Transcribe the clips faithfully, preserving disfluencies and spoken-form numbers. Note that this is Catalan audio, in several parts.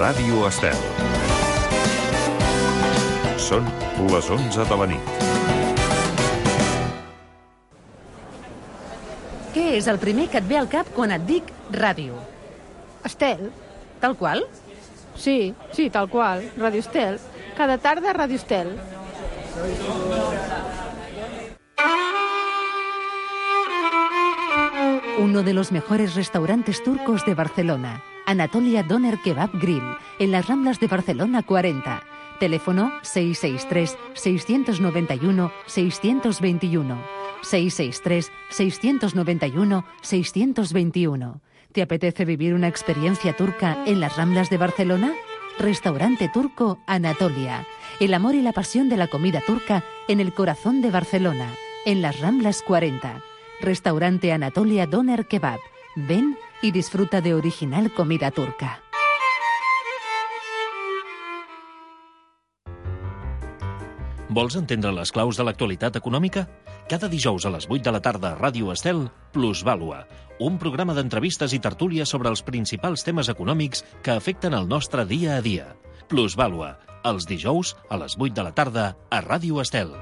Ràdio Estel. Són les onze de la nit. Què és el primer que et ve al cap quan et dic ràdio? Estel. Tal qual? Sí, sí, tal qual. Ràdio Estel. Cada tarda Ràdio Estel. Uno de los mejores restaurantes turcos de Barcelona, Anatolia Doner Kebab Grill, en las Ramblas de Barcelona cuarenta. Teléfono seis seis tres, seis nueve uno, seis dos uno. seis seis tres, seis nueve uno, seis dos uno. ¿Te apetece vivir una experiencia turca en las Ramblas de Barcelona? Restaurante Turco Anatolia. El amor y la pasión de la comida turca en el corazón de Barcelona, en las Ramblas cuarenta. Restaurante Anatolia Doner Kebab. Ven y disfruta de original comida turca. Vols entendre les claus de l'actualitat econòmica? Cada dijous a les vuit de la tarda a Ràdio Estel, Plusvàlua, un programa d'entrevistes i tertúlies sobre els principals temes econòmics que afecten el nostre dia a dia. Plusvàlua, els dijous a les vuit de la tarda a Ràdio Estel.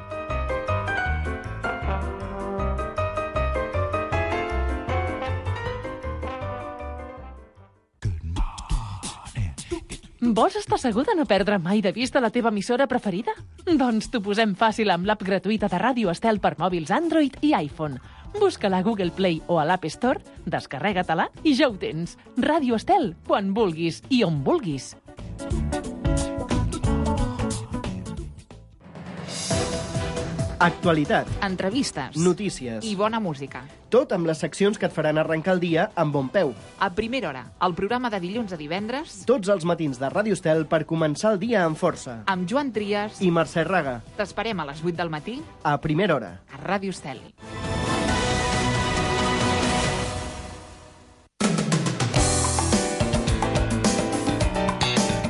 Vols estar segur de no perdre mai de vista la teva emissora preferida? Doncs t'ho posem fàcil amb l'app gratuïta de Ràdio Estel per mòbils Android i iPhone. Busca-la a Google Play o a l'App Store, descarrega-te-la i ja ho tens. Ràdio Estel, quan vulguis i on vulguis. Actualitat, Entrevistes notícies i bona música. Tot amb les seccions que et faran arrencar el dia amb bon peu. A primera hora, el programa de dilluns a divendres, Tots els matins de Ràdio Estel per començar el dia amb força. amb Joan Trias. I Mercè Raga, T'esperem a les vuit del matí a primera hora. a Ràdio Estel.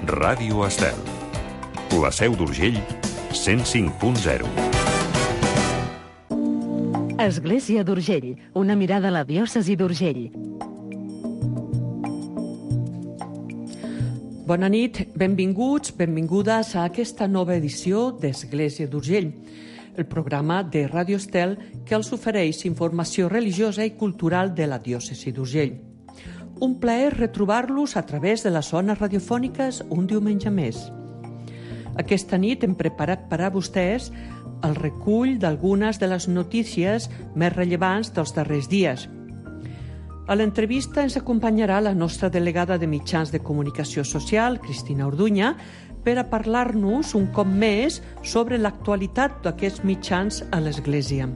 Ràdio Estel. La Seu d'Urgell, cent cinc punt zero. Església d'Urgell, una mirada a la diòcesi d'Urgell. Bona nit, benvinguts, benvingudes a aquesta nova edició d'Església d'Urgell, el programa de Ràdio Estel que els ofereix informació religiosa i cultural de la diòcesi d'Urgell. Un plaer retrobar-los a través de les zones radiofòniques un diumenge més. Aquesta nit hem preparat per a vostès el recull d'algunes de les notícies més rellevants dels darrers dies. A l'entrevista ens acompanyarà la nostra delegada de mitjans de comunicació social, Cristina Orduña, per a parlar-nos un cop més sobre l'actualitat d'aquests mitjans a l'Església.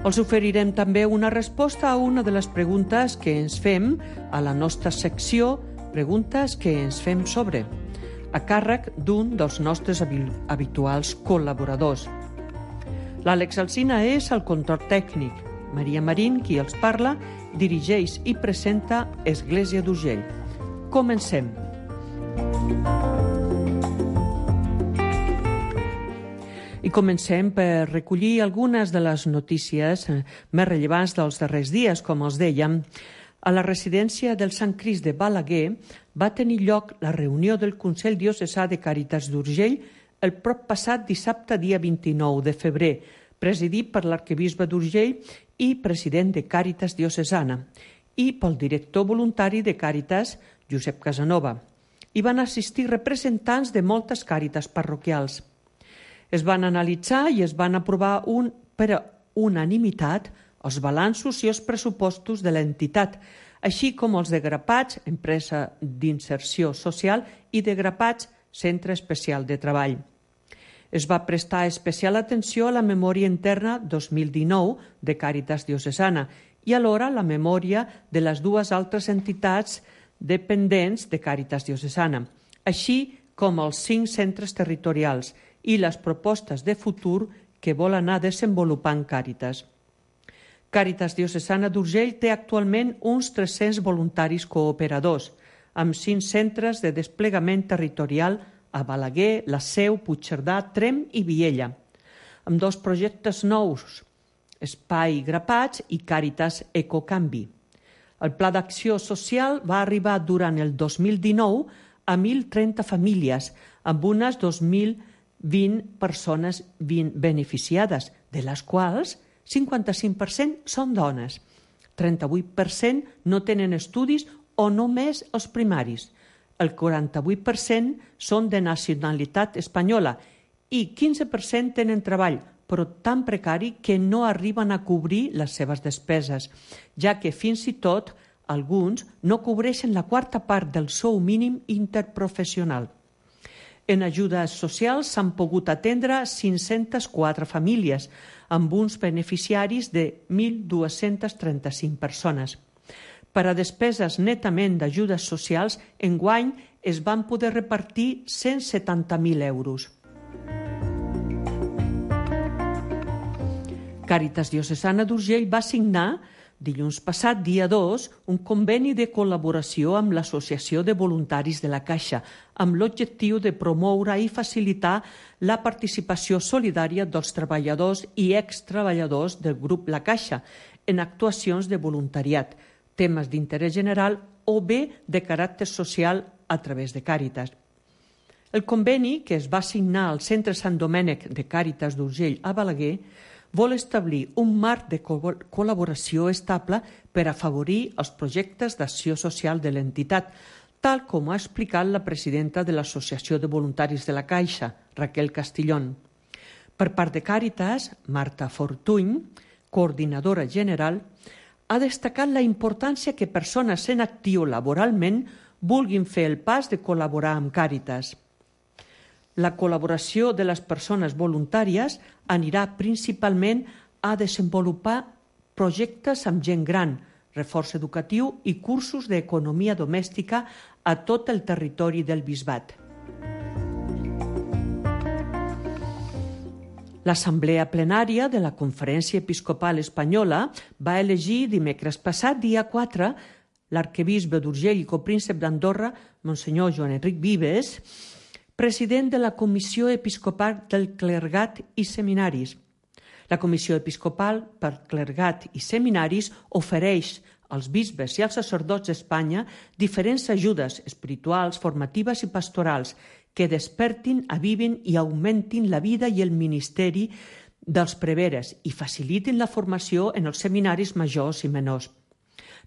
Els oferirem també una resposta a una de les preguntes que ens fem a la nostra secció Preguntes que ens fem sobre, a càrrec d'un dels nostres habituals col·laboradors. L'Àlex Alsina és el control tècnic. Maria Marín, qui els parla, dirigeix i presenta Església d'Urgell. Comencem. I comencem per recollir algunes de les notícies més rellevants dels darrers dies, com els dèiem. A la residència del Sant Crist de Balaguer va tenir lloc la reunió del Consell Diocesà de Càritas d'Urgell el prop passat dissabte, dia vint-i-nou de febrer, presidit per l'arquebisbe d'Urgell i president de Càritas Diocesana, i pel director voluntari de Càritas, Josep Casanova. Hi van assistir representants de moltes càritas parroquials. Es van analitzar i es van aprovar un, per unanimitat els balanços i els pressupostos de l'entitat, així com els de Grapats, empresa d'inserció social, i de Grapats, centre especial de treball. Es va prestar especial atenció a la memòria interna dos mil dinou de Càritas Diocesana i alhora la memòria de les dues altres entitats dependents de Càritas Diocesana, així com els cinc centres territorials i les propostes de futur que vol anar desenvolupant Càritas. Càritas Diocesana d'Urgell té actualment uns tres-cents voluntaris cooperadors, amb cinc centres de desplegament territorial a Balaguer, La Seu, Puigcerdà, Tremp i Viella, amb dos projectes nous, Espai Grapats i Càritas Ecocanvi. El Pla d'Acció Social va arribar durant el dos mil dinou a mil trenta famílies, amb unes dos mil vint persones beneficiades, de les quals cinquanta-cinc per cent són dones. trenta-vuit per cent no tenen estudis o només els primaris. El quaranta-vuit per cent són de nacionalitat espanyola i quinze per cent tenen treball, però tan precari que no arriben a cobrir les seves despeses, ja que fins i tot alguns no cobreixen la quarta part del sou mínim interprofessional. En ajudes socials s'han pogut atendre cinc-centes quatre famílies, amb uns beneficiaris de mil dos-centes trenta-cinc persones. Per a despeses netament d'ajudes socials, enguany es van poder repartir cent setanta mil euros. Càritas Diocesana d'Urgell va signar dilluns passat, dia dos, un conveni de col·laboració amb l'Associació de Voluntaris de la Caixa, amb l'objectiu de promoure i facilitar la participació solidària dels treballadors i extreballadors del grup La Caixa en actuacions de voluntariat, temes d'interès general o bé de caràcter social a través de Càritas. El conveni, que es va signar al Centre Sant Domènec de Càritas d'Urgell a Balaguer, vol establir un marc de col·laboració estable per afavorir els projectes d'acció social de l'entitat, tal com ha explicat la presidenta de l'Associació de Voluntaris de la Caixa, Raquel Castillón. Per part de Càritas, Marta Fortuny, coordinadora general, ha destacat la importància que persones en actiu laboralment vulguin fer el pas de col·laborar amb Càritas. La col·laboració de les persones voluntàries anirà principalment a desenvolupar projectes amb gent gran, reforç educatiu i cursos d'economia domèstica a tot el territori del Bisbat. L'Assemblea Plenària de la Conferència Episcopal Espanyola va elegir dimecres passat, dia quatre, l'arquebisbe d'Urgell i copríncep d'Andorra, Monsenyor Joan Enric Vives, president de la Comissió Episcopal del Clergat i Seminaris. La Comissió Episcopal pel Clergat i Seminaris ofereix als bisbes i als sacerdots d'Espanya diferents ajudes espirituals, formatives i pastorals que despertin, avivin i augmentin la vida i el ministeri dels preveres i facilitin la formació en els seminaris majors i menors.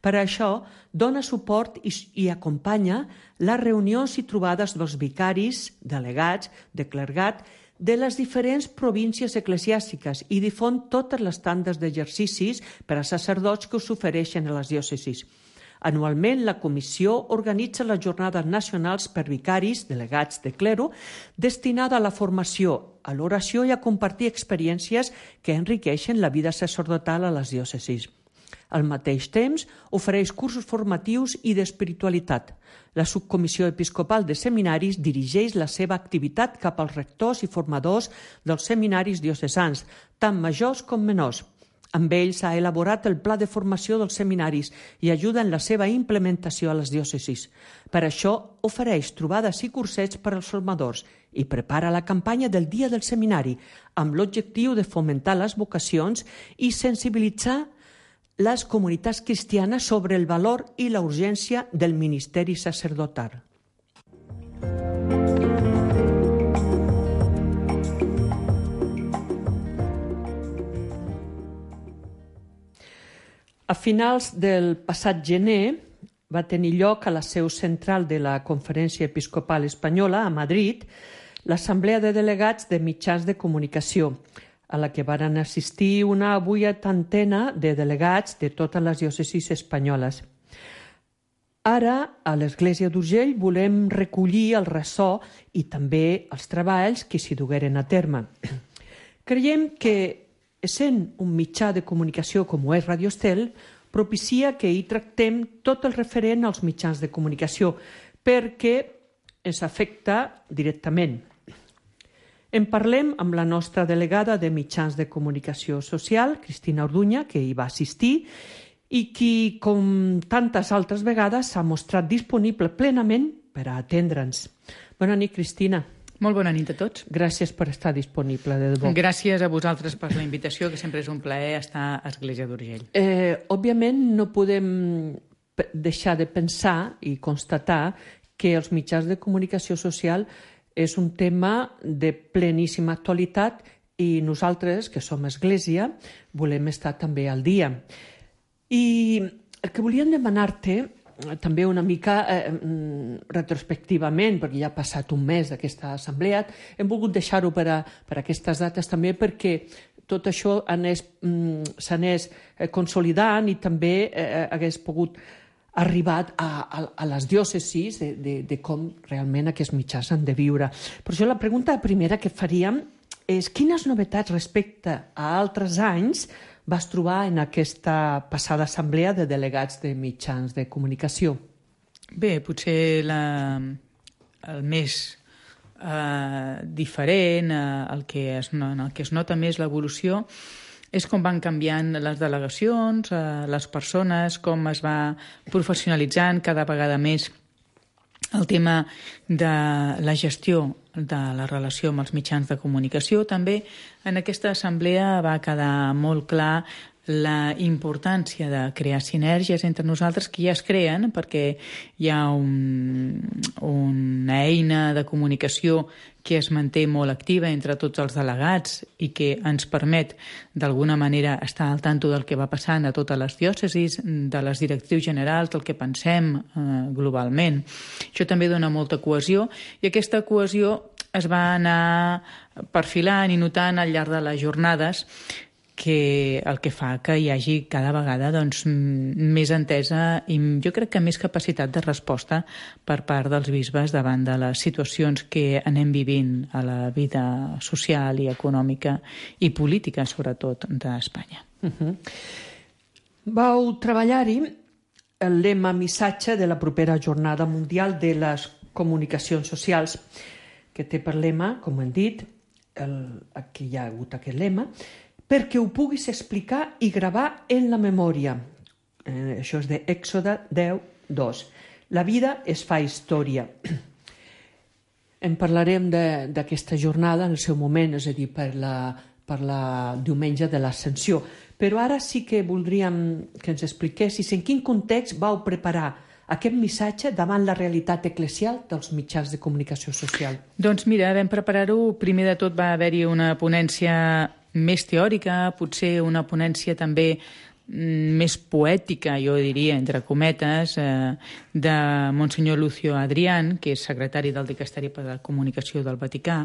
Per això, dona suport i, i acompanya les reunions i trobades dels vicaris, delegats, de clergat, de les diferents províncies eclesiàstiques i difon totes les tandes d'exercicis per a sacerdots que us ofereixen a les diòcesis. Anualment, la Comissió organitza les jornades nacionals per vicaris, delegats de clero, destinada a la formació, a l'oració i a compartir experiències que enriqueixen la vida sacerdotal a les diòcesis. Al mateix temps, ofereix cursos formatius i d'espiritualitat. La Subcomissió Episcopal de Seminaris dirigeix la seva activitat cap als rectors i formadors dels seminaris diocesans, tant majors com menors. Amb ells ha elaborat el pla de formació dels seminaris i ajuda en la seva implementació a les diòcesis. Per això, ofereix trobades i cursets per als formadors i prepara la campanya del Dia del Seminari, amb l'objectiu de fomentar les vocacions i sensibilitzar les comunitats cristianes sobre el valor i la urgència del ministeri sacerdotal. A finals del passat gener va tenir lloc a la seu central de la Conferència Episcopal Espanyola, a Madrid, l'Assemblea de Delegats de Mitjans de Comunicació, a la que van assistir una vuitantena de delegats de totes les diòcesis espanyoles. Ara, a l'Església d'Urgell, volem recollir el ressò i també els treballs que s'hi dugueren a terme. Creiem que, essent un mitjà de comunicació com ho és Radio Estel, propicia que hi tractem tot el referent als mitjans de comunicació, perquè ens afecta directament. En parlem amb la nostra delegada de mitjans de comunicació social, Cristina Orduña, que hi va assistir i qui, com tantes altres vegades, s'ha mostrat disponible plenament per a atendre'ns. Bona nit, Cristina. Molt bona nit a tots. Gràcies per estar disponible, de debò. Gràcies a vosaltres per la invitació, que sempre és un plaer estar a Església d'Urgell. Eh, òbviament no podem deixar de pensar i constatar que els mitjans de comunicació social és un tema de pleníssima actualitat i nosaltres, que som Església, volem estar també al dia. I el que volíem demanar-te, també una mica eh, retrospectivament, perquè ja ha passat un mes d'aquesta assemblea, hem volgut deixar-ho per a, per a aquestes dates també perquè tot això anés, s'anés consolidant i també eh, hagués pogut arribat a, a, a les diòcesis de, de, de com realment aquests mitjans han de viure. Per això la pregunta primera que faríem és quines novetats respecte a altres anys vas trobar en aquesta passada assemblea de delegats de mitjans de comunicació? Bé, potser la, el més eh, diferent, eh, el que es, en el que es nota més l'evolució, és com van canviant les delegacions, eh, les persones, com es va professionalitzant cada vegada més el tema de la gestió de la relació amb els mitjans de comunicació. També en aquesta assemblea va quedar molt clar la importància de crear sinergies entre nosaltres, que ja es creen perquè hi ha un, una eina de comunicació que es manté molt activa entre tots els delegats i que ens permet d'alguna manera estar al tanto del que va passant a totes les diòcesis, de les directrius generals, del que pensem eh, globalment. Això també dona molta cohesió i aquesta cohesió es va anar perfilant i notant al llarg de les jornades, que el que fa que hi hagi cada vegada doncs, més entesa i jo crec que més capacitat de resposta per part dels bisbes davant de les situacions que anem vivint a la vida social i econòmica i política, sobretot, d'Espanya. Uh-huh. Vau treballar-hi el lema missatge de la propera Jornada Mundial de les Comunicacions Socials, que té per lema, com hem dit, el, aquí hi ha hagut aquest lema, perquè ho puguis explicar i gravar en la memòria. Eh, això és d'Èxode deu dos. La vida es fa història. En parlarem d'aquesta jornada en el seu moment, és a dir, per la, per la diumenge de l'Ascensió. Però ara sí que voldríem que ens expliquessis en quin context vau preparar aquest missatge davant la realitat eclesial dels mitjans de comunicació social. Doncs mira, vam preparar-ho. Primer de tot va haver-hi una ponència més teòrica, potser una ponència també més poètica, jo diria, entre cometes, eh, de Monsenyor Lucio Adrián, que és secretari del Dicasteri per a la Comunicació del Vaticà,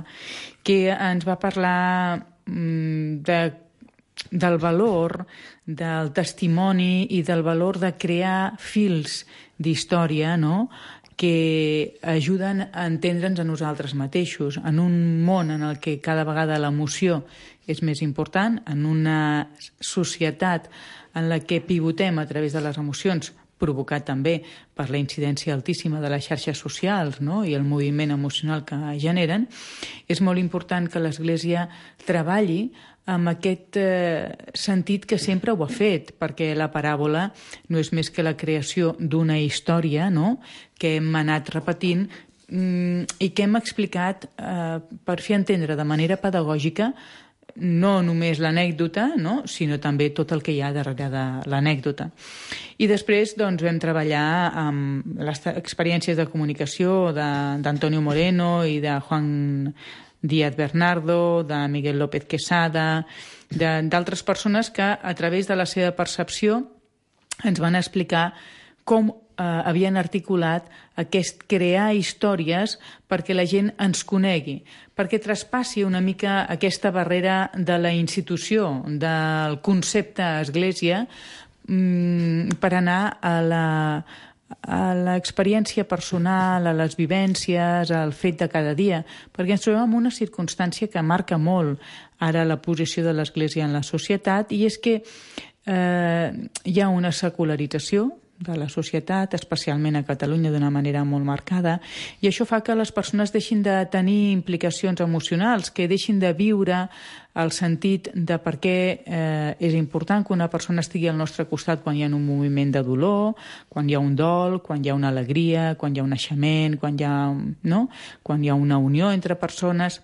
que ens va parlar mm, de, del valor del testimoni i del valor de crear fils d'història, no?, que ajuden a entendre'ns a nosaltres mateixos, en un món en el que cada vegada l'emoció és més important, en una societat en la que pivotem a través de les emocions, provocat també per la incidència altíssima de les xarxes socials, no?, i el moviment emocional que generen, és molt important que l'Església treballi amb aquest eh, sentit que sempre ho ha fet, perquè la paràbola no és més que la creació d'una història, no?, que hem anat repetint mm, i que hem explicat eh, per fer entendre de manera pedagògica no només l'anècdota, no?, sinó també tot el que hi ha darrere de l'anècdota. I després doncs, vam treballar amb les experiències de comunicació d'Antonio Moreno i de Juan Díaz Bernardo, de Miguel López Quesada, d'altres persones que a través de la seva percepció ens van explicar com eh, havien articulat aquest crear històries perquè la gent ens conegui, perquè traspassi una mica aquesta barrera de la institució, del concepte església, mm, per anar a la a l'experiència personal, a les vivències, al fet de cada dia, perquè ens trobem en una circumstància que marca molt ara la posició de l'Església en la societat, i és que eh, hi ha una secularització de la societat, especialment a Catalunya d'una manera molt marcada, i això fa que les persones deixin de tenir implicacions emocionals, que deixin de viure el sentit de per què eh, és important que una persona estigui al nostre costat quan hi ha un moviment de dolor, quan hi ha un dol, quan hi ha una alegria, quan hi ha un naixement, quan hi ha, no? quan hi ha una unió entre persones.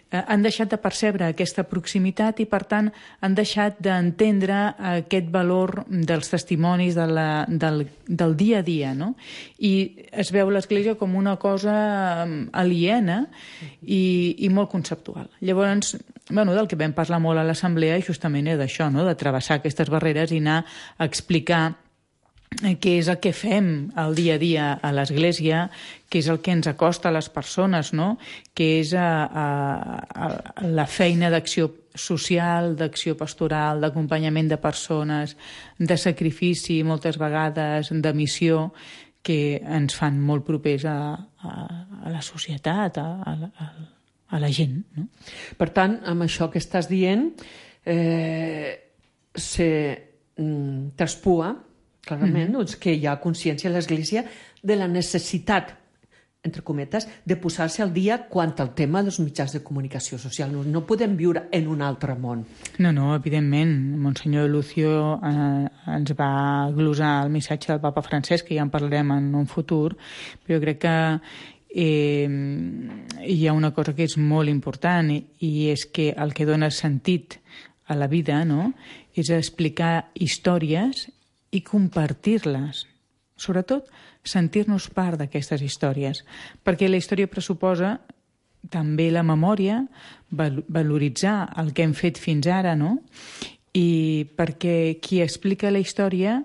Eh, han deixat de percebre aquesta proximitat i, per tant, han deixat d'entendre aquest valor dels testimonis de la, del, del dia a dia, no? I es veu l'Església com una cosa aliena i, i molt conceptual. Llavors, bueno, del que vam parlar molt a l'assemblea justament és d'això, no? De travessar aquestes barreres i anar a explicar què és el que fem el dia a dia a l'Església, què és el que ens acosta a les persones, no? Què és a, a, a la feina d'acció social, d'acció pastoral, d'acompanyament de persones, de sacrifici moltes vegades, de missió, que ens fan molt propers a, a, a la societat, a, a, a la gent. No? Per tant, amb això que estàs dient, eh, se mm, traspua clarament, mm-hmm. doncs, que hi ha consciència a l'Església de la necessitat, entre cometes, de posar-se al dia quant al tema dels mitjans de comunicació social. No, no podem viure en un altre món. No, no, evidentment. Monsenyor Lucio eh, ens va glosar el missatge del papa Francesc, que ja en parlarem en un futur, però jo crec que eh, hi ha una cosa que és molt important i, i és que el que dona sentit a la vida, no?, és explicar històries i compartir-les. Sobretot, sentir-nos part d'aquestes històries, perquè la història pressuposa també la memòria, val- valoritzar el que hem fet fins ara, no? I perquè qui explica la història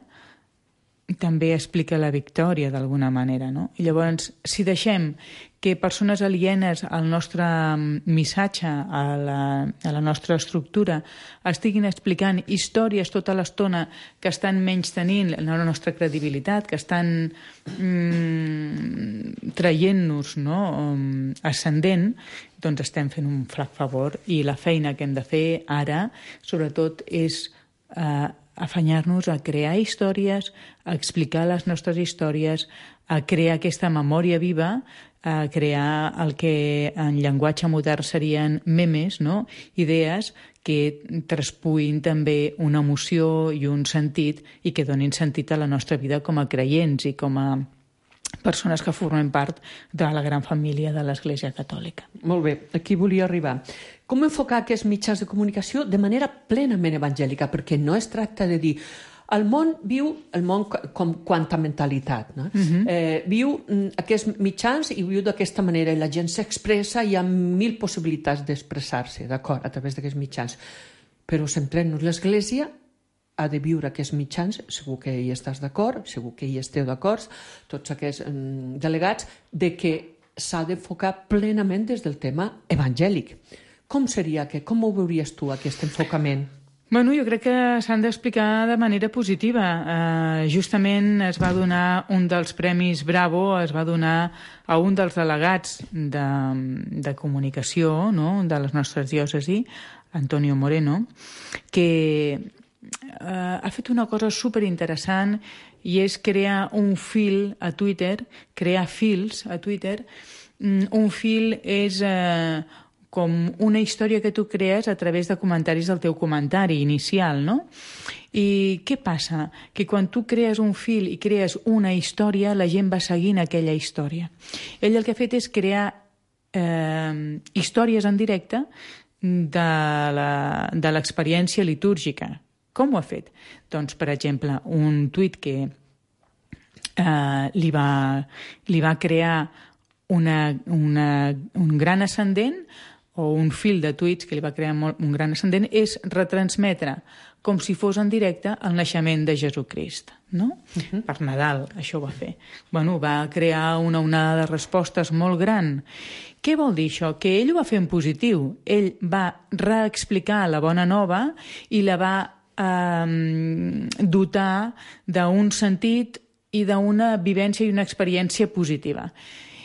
també explica la victòria d'alguna manera, no? I llavors, si deixem que persones alienes al nostre missatge, a la, a la nostra estructura, estiguin explicant històries tota l'estona que estan menystenint la nostra credibilitat, que estan mm, traient-nos, no?, ascendent, doncs estem fent un flac favor i la feina que hem de fer ara, sobretot, és eh, afanyar-nos a crear històries, a explicar les nostres històries, a crear aquesta memòria viva, a crear el que en llenguatge modern serien memes, no? Idees que traspuïn també una emoció i un sentit i que donin sentit a la nostra vida com a creients i com a persones que formen part de la gran família de l'Església Catòlica. Molt bé, aquí volia arribar. Com enfocar aquests mitjans de comunicació de manera plenament evangèlica? Perquè no es tracta de dir el món viu el món com quanta mentalitat, no? Uh-huh. eh, viu aquests mitjans i viu d'aquesta manera i la gent s'expressa i hi ha mil possibilitats d'expressar-se, d'acord, a través d'aquests mitjans. Però centrem-nos, l'Església ha de viure aquests mitjans, segur que hi estàs d'acord, segur que hi esteu d'acord, tots aquests mm, delegats, de que s'ha d'enfocar plenament des del tema evangèlic. Com seria que, com ho veuries tu, aquest enfocament? Bueno, jo crec que s'han d'explicar de manera positiva. Uh, justament es va donar un dels premis Bravo, es va donar a un dels delegats de, de comunicació, no?, de les nostres diòcesis, Antonio Moreno, que Uh, ha fet una cosa superinteressant i és crear un fil a Twitter, crear fils a Twitter. Mm, un fil és uh, com una història que tu crees a través de comentaris del teu comentari inicial, no? I què passa? Que quan tu crees un fil i crees una història, la gent va seguint aquella història. Ell el que ha fet és crear eh, històries en directe de l'experiència litúrgica. Com ho ha fet? Doncs, per exemple, un tuit que eh, li, va, li va crear una, una, un gran ascendent o un fil de tuits que li va crear molt, un gran ascendent és retransmetre com si fos en directe el naixement de Jesucrist, no? Uh-huh. Per Nadal, això ho va fer. Bueno, va crear una onada de respostes molt gran. Què vol dir això? Que ell ho va fer en positiu. Ell va reexplicar la bona nova i la va dotar d'un sentit i d'una vivència i una experiència positiva.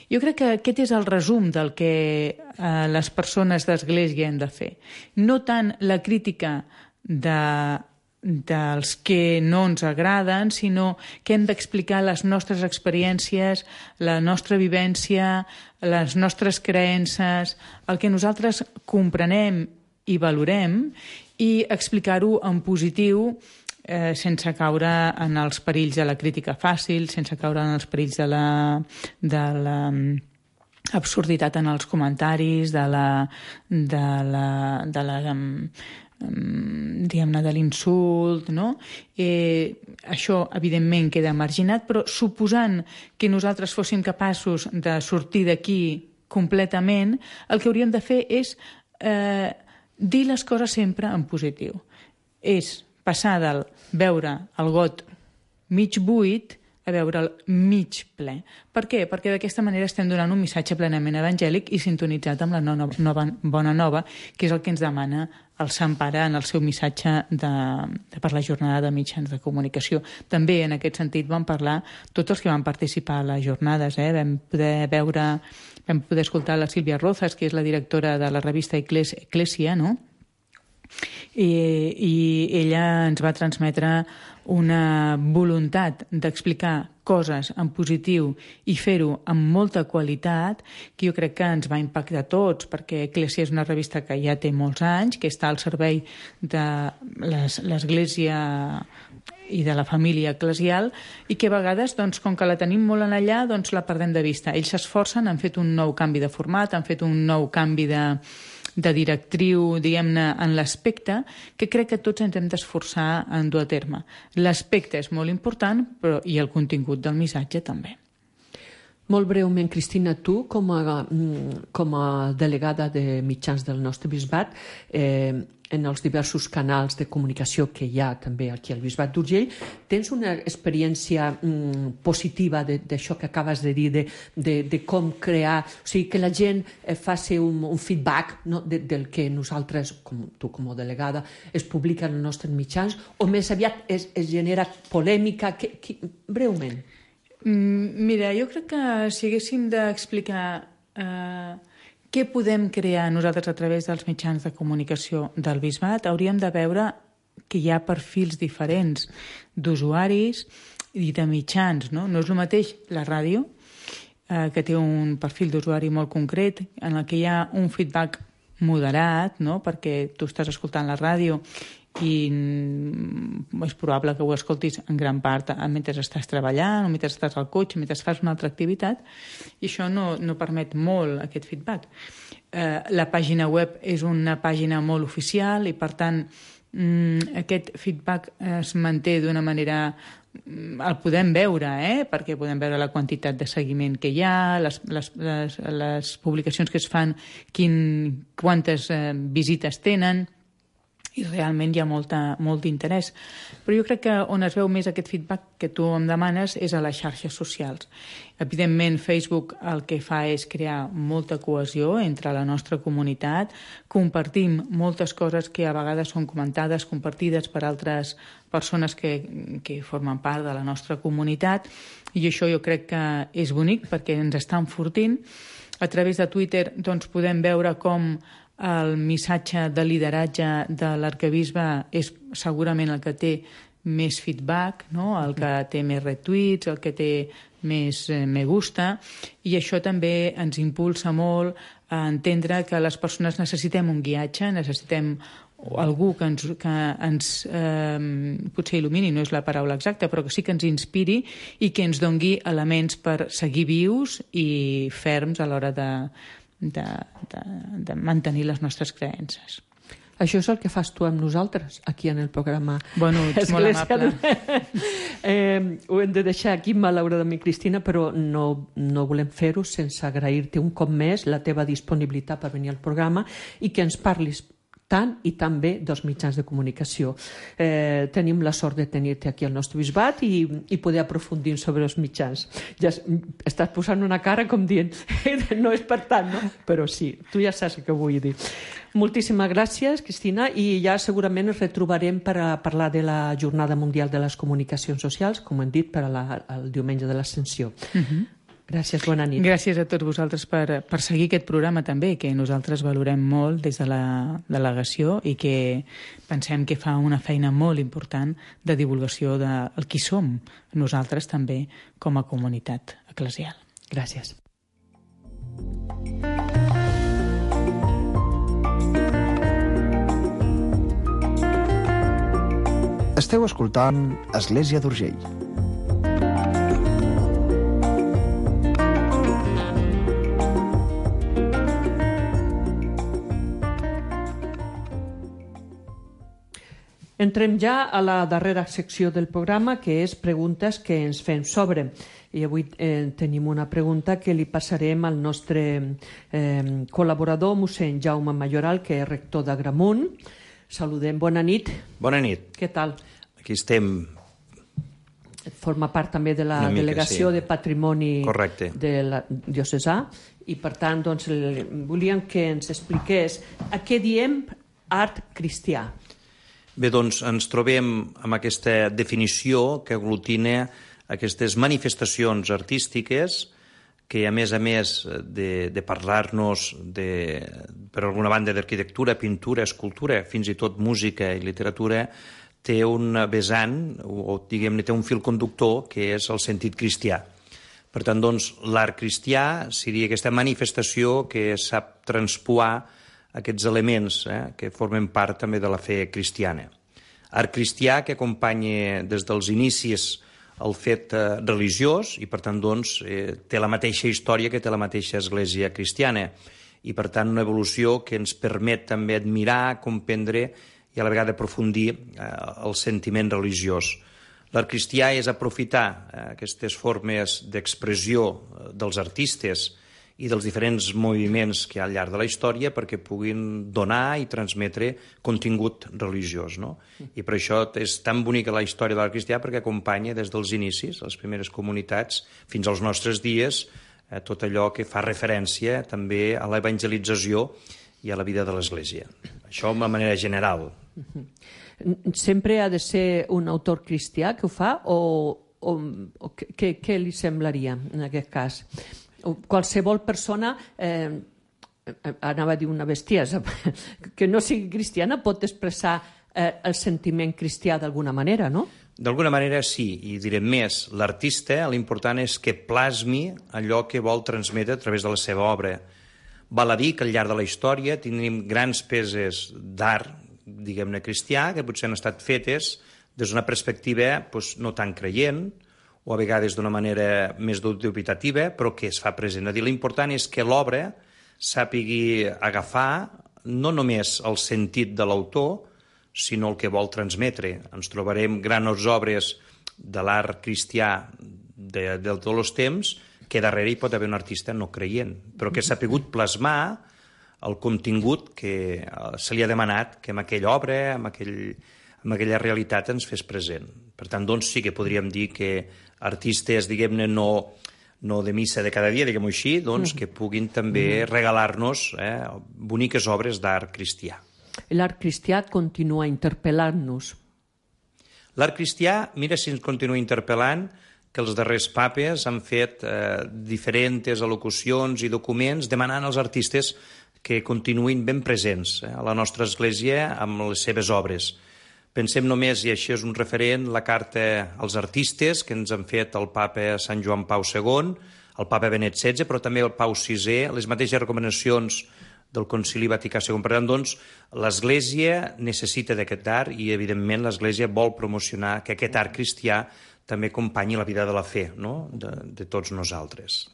Jo crec que aquest és el resum del que eh, les persones d'Església hem de fer. No tant la crítica de, dels que no ens agraden, sinó que hem d'explicar les nostres experiències, la nostra vivència, les nostres creences, el que nosaltres comprenem i valorem, i explicar-ho en positiu, eh, sense caure en els perills de la crítica fàcil, sense caure en els perills de la, de la absurditat en els comentaris, de la, de la, de la diguem-ne, de l'insult, no? Eh, això, evidentment, queda marginat, però suposant que nosaltres fóssim capaços de sortir d'aquí completament, el que hauríem de fer és eh, dir les coses sempre en positiu. És passar del veure el got mig buit a veure el mig ple. Per què? Perquè d'aquesta manera estem donant un missatge plenament evangèlic i sintonitzat amb la nova, nova, bona nova, que és el que ens demana el Sant Pare en el seu missatge de, de per la jornada de mitjans de comunicació. També en aquest sentit vam parlar tots els que van participar a les jornades. Eh? Vam poder veure, vam poder escoltar la Sílvia Rozas, que és la directora de la revista Eclésia, no? I, i ella ens va transmetre una voluntat d'explicar coses en positiu i fer-ho amb molta qualitat, que jo crec que ens va impactar a tots, perquè Eclésia és una revista que ja té molts anys, que està al servei de l'Església i de la família eclesial, i que a vegades, doncs, com que la tenim molt en allà, doncs la perdem de vista. Ells s'esforcen, han fet un nou canvi de format, han fet un nou canvi de de directriu, diguem-ne, en l'aspecte, que crec que tots ens hem d'esforçar en dur a terme. L'aspecte és molt important, però i el contingut del missatge també. Molt breument, Cristina, tu, com a, com a delegada de mitjans del nostre bisbat, eh, en els diversos canals de comunicació que hi ha també aquí al Bisbat d'Urgell, tens una experiència mm, positiva d'això que acabes de dir, de, de, de com crear, o sigui, que la gent eh, faci un, un feedback, no, de, del que nosaltres, com tu com a delegada, es publica en els nostres mitjans, o més aviat es, es genera polèmica? Que, que, breument. Mm, mira, jo crec que si haguéssim d'explicar eh, què podem crear nosaltres a través dels mitjans de comunicació del Bisbat, hauríem de veure que hi ha perfils diferents d'usuaris i de mitjans. No, no és el mateix la ràdio, eh, que té un perfil d'usuari molt concret, en el que hi ha un feedback moderat, no? Perquè tu estàs escoltant la ràdio i és probable que ho escoltis en gran part mentre estàs treballant o mentre estàs al cotxe, mentre fas una altra activitat, i això no, no permet molt aquest feedback. Eh, la pàgina web és una pàgina molt oficial i, per tant, mm, aquest feedback es manté d'una manera... El podem veure, eh? Perquè podem veure la quantitat de seguiment que hi ha, les, les, les, les publicacions que es fan, quin, quantes eh, visites tenen, i realment hi ha molta, molt d'interès. Però jo crec que on es veu més aquest feedback que tu em demanes és a les xarxes socials. Evidentment, Facebook el que fa és crear molta cohesió entre la nostra comunitat, compartim moltes coses que a vegades són comentades, compartides per altres persones que, que formen part de la nostra comunitat, i això jo crec que és bonic perquè ens està enfortint. A través de Twitter doncs, podem veure com el missatge de lideratge de l'arquebisbe és segurament el que té més feedback, no? El que té més retweets, el que té més eh, me gusta, i això també ens impulsa molt a entendre que les persones necessitem un guiatge, necessitem algú que ens, que ens eh, potser il·lumini, no és la paraula exacta, però que sí que ens inspiri i que ens dongui elements per seguir vius i ferms a l'hora de De, de, de mantenir les nostres creences. Això és el que fas tu amb nosaltres, aquí en el programa. Bueno, ets molt amable. eh, ho hem de deixar aquí, malauradament, Cristina, però no, no volem fer-ho sense agrair-te un cop més la teva disponibilitat per venir al programa i que ens parlis tant i tan bé dels mitjans de comunicació. Eh, tenim la sort de tenir-te aquí al nostre bisbat i, i poder aprofundir sobre els mitjans. Ja estàs posant una cara com dient no és per tant, no? Però sí, tu ja saps el que vull dir. Moltíssimes gràcies, Cristina, i ja segurament ens retrobarem per a parlar de la Jornada Mundial de les Comunicacions Socials, com hem dit, per a la, el diumenge de l'Ascensió. Uh-huh. Gràcies, bona nit. Gràcies a tots vosaltres per, per seguir aquest programa també, que nosaltres valorem molt des de la delegació i que pensem que fa una feina molt important de divulgació del qui som nosaltres també com a comunitat eclesial. Gràcies. Esteu escoltant Església d'Urgell. Entrem ja a la darrera secció del programa, que és preguntes que ens fem sobre. I avui eh, tenim una pregunta que li passarem al nostre eh, col·laborador, mossèn Jaume Mayoral, que és rector d'Agramunt. Saludem, bona nit. Bona nit. Què tal? Aquí estem. Forma part també de la mica, delegació sí. de patrimoni Correcte. de la diocesà i, per tant, doncs, volíem que ens expliqués a què diem art cristià. Bé, doncs ens trobem amb aquesta definició que aglutina aquestes manifestacions artístiques que, a més a més de, de parlar-nos de, per alguna banda d'arquitectura, pintura, escultura, fins i tot música i literatura, té un vessant, o diguem-ne, té un fil conductor que és el sentit cristià. Per tant, doncs, l'art cristià seria aquesta manifestació que sap transpoar aquests elements eh, que formen part també de la fe cristiana. Art cristià que acompanya des dels inicis el fet eh, religiós i, per tant, doncs, eh, té la mateixa història que té la mateixa església cristiana i, per tant, una evolució que ens permet també admirar, comprendre i a la vegada aprofundir eh, el sentiment religiós. L'art cristià és aprofitar eh, aquestes formes d'expressió eh, dels artistes i dels diferents moviments que hi ha al llarg de la història perquè puguin donar i transmetre contingut religiós. No? I per això és tan bonica la història de l'art cristià perquè acompanya des dels inicis, les primeres comunitats, fins als nostres dies, eh, tot allò que fa referència també a l'evangelització i a la vida de l'Església. Això de manera general. Sempre ha de ser un autor cristià que ho fa o, o, o què, què li semblaria en aquest cas? Qualsevol persona, eh, anava a dir una bestiesa, que no sigui cristiana pot expressar eh, el sentiment cristià d'alguna manera, no? D'alguna manera sí, i direm més, l'artista l'important és que plasmi allò que vol transmetre a través de la seva obra. Val a dir que al llarg de la història tenim grans peces d'art, diguem-ne cristià, que potser han estat fetes des d'una perspectiva doncs, no tan creient, o a vegades d'una manera més dubitativa, però que es fa present. A dir, l'important és que l'obra sàpigui agafar no només el sentit de l'autor, sinó el que vol transmetre. Ens trobarem grans obres de l'art cristià de, de tots els temps, que darrere hi pot haver un artista no creient, però que s'ha pogut plasmar el contingut que se li ha demanat que en aquella obra, en, aquell, en aquella realitat ens fes present. Per tant, doncs sí que podríem dir que artistes, diguem-ne, no, no de missa de cada dia, diguem-ho així, doncs que puguin també regalar-nos eh, boniques obres d'art cristià. L'art cristià continua interpel·lant-nos. L'art cristià, mira si ens continua interpel·lant, que els darrers papes han fet eh, diferents al·locucions i documents demanant als artistes que continuïn ben presents eh, a la nostra església amb les seves obres. Pensem només, i això és un referent, la carta als artistes que ens han fet el papa Sant Joan Pau segon, el papa Benet setze, però també el Pau sisè, les mateixes recomanacions del Concili Vaticà segon. Per tant, doncs, l'Església necessita d'aquest art i, evidentment, l'Església vol promocionar que aquest art cristià també acompanyi la vida de la fe, no? de, de tots nosaltres.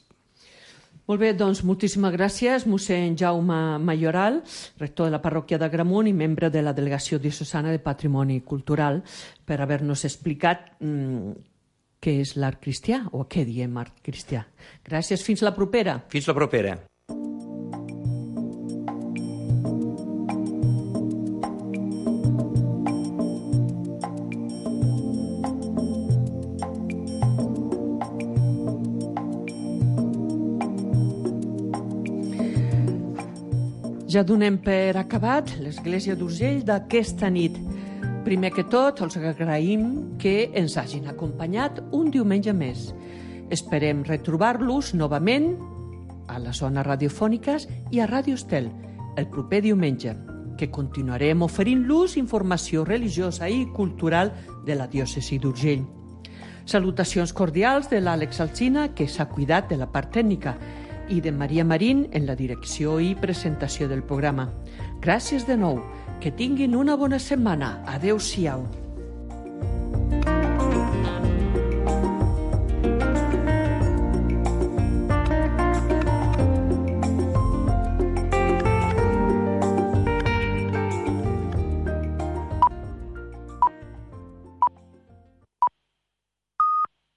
Molt bé, doncs moltíssimes gràcies, mossèn Jaume Mayoral, rector de la parròquia d'Agramunt i membre de la Delegació Diocesana de Patrimoni Cultural, per haver-nos explicat mm, què és l'art cristià o què diem art cristià. Gràcies, fins la propera. Fins la propera. Ja donem per acabat l'Església d'Urgell d'aquesta nit. Primer que tot, els agraïm que ens hagin acompanyat un diumenge més. Esperem retrobar-los novament a les zones radiofòniques i a Ràdio Estel el proper diumenge, que continuarem oferint-los informació religiosa i cultural de la diòcesi d'Urgell. Salutacions cordials de l'Àlex Alsina, que s'ha cuidat de la part tècnica, i de Maria Marín en la direcció i presentació del programa. Gràcies de nou. Que tinguin una bona setmana. Adéu-siau.